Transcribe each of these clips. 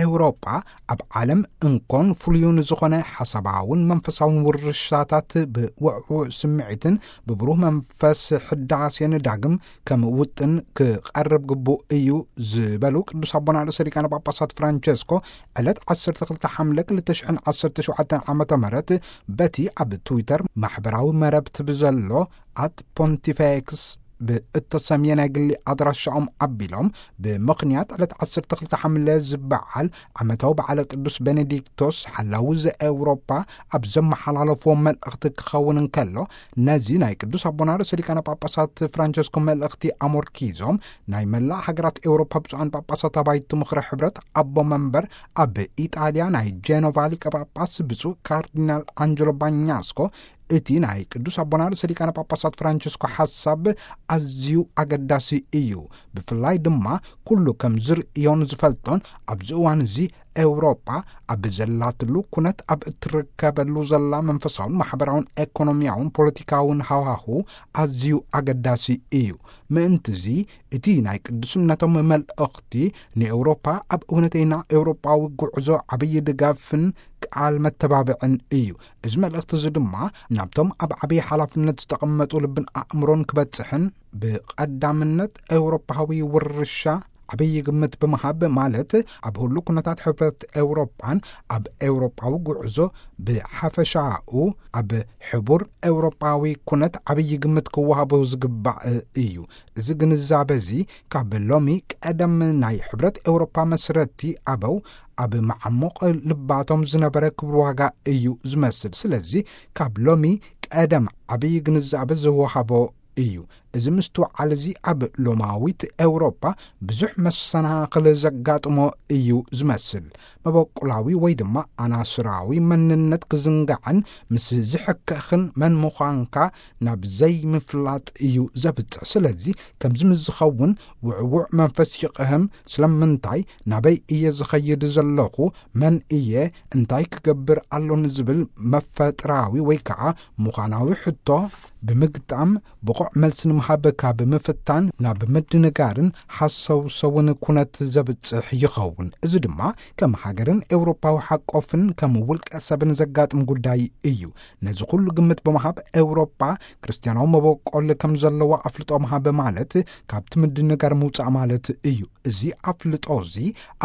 ኤውሮጳ ኣብ ዓለም እንኮን ፍሉዩን ዝኾነ ሓሳባውን መንፈሳውን ውርሻታት ብውዕዉዕ ስምዒትን ብብሩህ መንፈስ ሕዳሴን ዳግም ከም ውጥን ክቐርብ ግቡእ እዩ ዝበሉ ቅዱስ ኣቦና ርእሰ ሊቃነ ጳጳሳት ፍራንቸስኮ፣ ዕለት ዓሰርተ ክልተ ሓምለ ክልተ ሽሕን ዓሰርተ ሸውዓተን ዓመተ ምህረት በቲ ኣብ ትዊተር ማሕበራዊ መረብቲ ብዘሎ ኣት ፖንቲፌክስ ብእተሰምየ ናይ ግሊ ኣድራሻኦም ኣቢሎም፣ ብምኽንያት ዕለት ዓሰርተ ክልተ ሓምለ ዝበዓል ዓመታዊ በዓለ ቅዱስ ቤኔዲክቶስ ሓላዊ ዘኤውሮጳ ኣብ ዘመሓላለፍዎ መልእኽቲ ክኸውን እንከሎ፣ ነዚ ናይ ቅዱስ ኣቦና ርእሰ ሊቃነ ጳጳሳት ፍራንቸስኮ መልእኽቲ ኣሞርኪዞም፣ ናይ መላእ ሃገራት ኤውሮፓ ብፁዓን ጳጳሳት ኣባይቲ ምኽሪ ሕብረት ኣቦ መንበር ኣብ ኢጣልያ ናይ ጄኖቫ ሊቀ ጳጳስ ብፁዕ ካርዲናል ኣንጀሎ ባኛስኮ፣ እቲ ናይ ቅዱስ ኣቦና ርእሰ ሊቃነ ጳጳሳት ፍራንቸስኮ ሓሳብ ኣዝዩ ኣገዳሲ እዩ። ብፍላይ ድማ ኩሉ ከም ዝርእዮን ዝፈልጦን ኣብዚ እዋን እዚ ኤውሮጳ ኣብ ዘላትሉ ኩነት፣ ኣብ እትርከበሉ ዘላ መንፈሳውን ማሕበራውን ኤኮኖሚያውን ፖለቲካውን ሃዋሁ ኣዝዩ ኣገዳሲ እዩ። ምእንትዚ እቲ ናይ ቅዱስነቶም መልእኽቲ ንኤውሮፓ ኣብ እውነተይና ኤውሮጳዊ ጉዕዞ ዓብዪ ድጋፍን ቃል መተባብዕን እዩ። እዚ መልእኽቲ እዚ ድማ ናብቶም ኣብ ዓብዪ ሓላፍነት ዝተቐመጡ ልብን ኣእምሮን ክበጽሕን፣ ብቐዳምነት ኤውሮፓዊ ውርሻ ዓብዪ ግምት ብምሃብ፣ ማለት ኣብ ህሉ ኩነታት ሕብረት ኤውሮጳን ኣብ ኤውሮጳዊ ጉዕዞ ብሓፈሻኡ ኣብ ሕቡር ኤውሮጳዊ ኩነት ዓብዪ ግምት ክወሃቦ ዝግባእ እዩ። እዚ ግንዛበ እዚ ካብ ሎሚ ቀደም ናይ ሕብረት ኤውሮጳ መስረቲ ኣበው ኣብ መዓሙቕ ልባቶም ዝነበረ ክቡር ዋጋ እዩ ዝመስል። ስለዚ ካብ ሎሚ ቀደም ዓብዪ ግንዛበ ዝወሃቦ እዩ። እዚ ምስትውዓል እዚ ኣብ ሎማዊት ኤውሮጳ ብዙሕ መሰናኽል ዘጋጥሞ እዩ ዝመስል። መበቁላዊ ወይ ድማ ኣናስራዊ መንነት ክዝንጋዕን ምስ ዝሕከኽን መን ምዃንካ ናብ ዘይምፍላጥ እዩ ዘብጽሕ። ስለዚ ከምዚ ምስ ዝኸውን ውዕዉዕ መንፈስ ይቕህም። ስለምንታይ? ናበይ እየ ዝኸይድ ዘለኹ? መን እየ? እንታይ ክገብር ኣሎኒ? ዝብል መፈጥራዊ ወይ ከዓ ምዃናዊ ሕቶ ብምግጣም ብቑዕ መልሲ ንምሃብ ካብ ምፍታን ናብ ምድንጋርን ሓሰውሰውን ኩነት ዘብጽሕ ይኸውን። እዚ ድማ ከም ሃገርን ኤውሮፓዊ ሓቆፍን ከም ውልቀ ሰብን ዘጋጥም ጉዳይ እዩ። ነዚ ኩሉ ግምት ብምሃብ ኤውሮፓ ክርስትያናዊ መበቆል ከም ዘለዋ ኣፍልጦ ምሃብ ማለት ካብቲ ምድንጋር ምውጻእ ማለት እዩ። እዚ ኣፍልጦ እዚ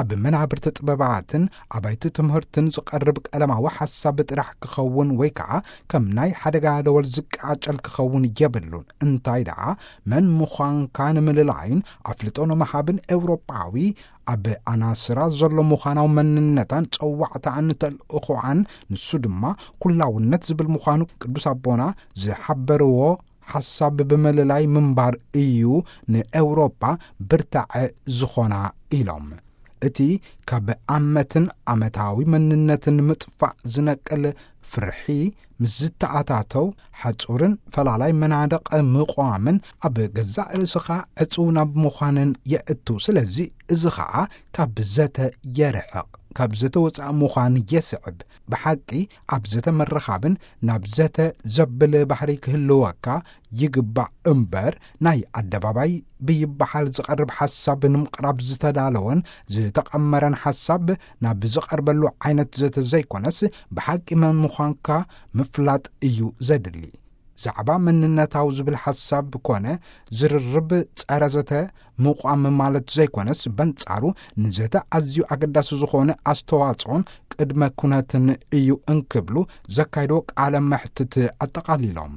ኣብ መናብርቲ ጥበባትን ኣባይቲ ትምህርትን ዝቐርብ ቀለማዊ ሓሳብ ጥራሕ ክኸውን ወይ ከዓ ከም ናይ ሓደጋ ደወል ዝቃጨል ክኸውን የብሉን። እንታይ ደኣ መን ምዃንካ ንምልላይን ኣፍልጦ ንምሃብን ኤውሮጳዊ ኣብ ኣናስራ ዘሎ ምዃናዊ መንነታን ጸዋዕታኣን ተልእኾኣን፣ ንሱ ድማ ኩላውነት ዝብል ምዃኑ ቅዱስ ኣቦና ዝሓበርዎ ሓሳብ ብምልላይ ምንባር እዩ ንኤውሮጳ ብርታዐ ዝኾና ኢሎም። እቲ ካብ ኣመትን ኣመታዊ መንነትን ምጥፋእ ዝነቅል ፍርሒ ምስ ዝተኣታተው፣ ሓጹርን ፈላላይ መናድቕ ምቋምን ኣብ ገዛእ ርእስኻ ዕጹው ናብ ምዃንን የእቱ። ስለዚ እዚ ኸኣ ካብ ዘተ የርሕቕ፣ ካብ ዘተ ወጻኢ ምዃን የስዕብ። ብሓቂ ኣብ ዘተ ምርኻብን ናብ ዘተ ዘብል ባህሪ ክህልወካ ይግባእ እምበር፣ ናይ ኣደባባይ ብይበሃል ዝቐርብ ሓሳብ ንምቕራብ ዝተዳለወን ዝተቐመረን ሓሳብ ናብ ዝቐርበሉ ዓይነት ዘተ ዘይኮነስ፣ ብሓቂ መን ምዃንካ ምፍላጥ እዩ ዘድሊ። ዛዕባ መንነታዊ ዝብል ሓሳብ ኮነ ዝርርብ ጸረ ዘተ ምቋም ማለት ዘይኮነስ፣ በንጻሩ ንዘተ ኣዝዩ ኣገዳሲ ዝኾነ ኣስተዋጽኦን ቅድመ ኩነትን እዩ እንክብሉ ዘካይድዎ ቃለ መሕትት ኣጠቓሊሎም።